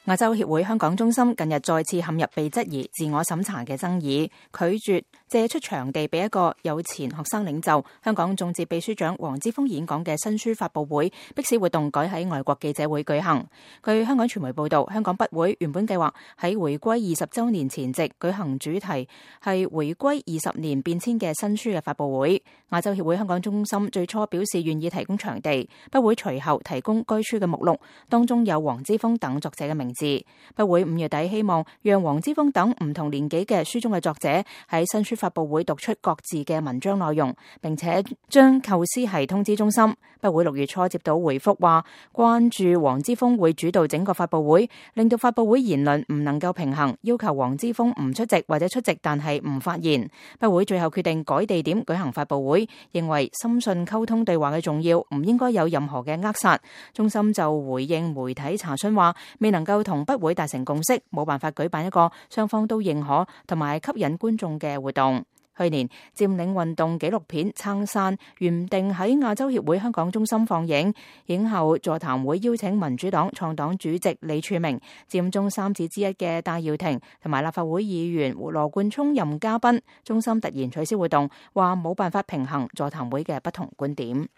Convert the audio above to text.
亞洲協會香港中心近日再次陷入被質疑自我審查嘅爭議，拒絕借出場地俾一個有前學生領袖、香港眾志秘書長黃之鋒演講嘅新書發佈會，迫使活動改喺外國記者會舉行。據香港傳媒報道，香港筆會原本計劃喺回歸20週年前夕舉行主題係回歸20年變遷嘅新書嘅發佈會。亞洲協會香港中心最初表示願意提供場地，筆會隨後提供該書嘅目錄，當中有黃之鋒等作者嘅名字。筆會5月底希望讓黃之鋒等唔同年紀嘅書中嘅作者喺新書發佈會讀出各自嘅文章內容，並且將構思係通知中心。筆會6月初接到回覆話，關注黃之鋒會主導整個發佈會，令到發佈會言論唔能夠平衡，要求黃之鋒唔出席或者出席但係唔發言。筆會最後決定改地點舉行發佈會，認為深信溝通對話嘅重要，唔應該有任何嘅扼殺。中心就回應媒體查詢話，未能夠同筆會達成共識，冇辦法舉辦一個雙方都認可同埋吸引觀眾嘅活動。去年佔領運動紀錄片《撐傘》原定喺亞洲協會香港中心放映，映後座談會邀請民主黨創黨主席李柱銘、佔中三子之一嘅戴耀廷同埋立法會議員羅冠聰任嘉賓，中心突然取消活動，話冇辦法平衡座談會嘅不同觀點。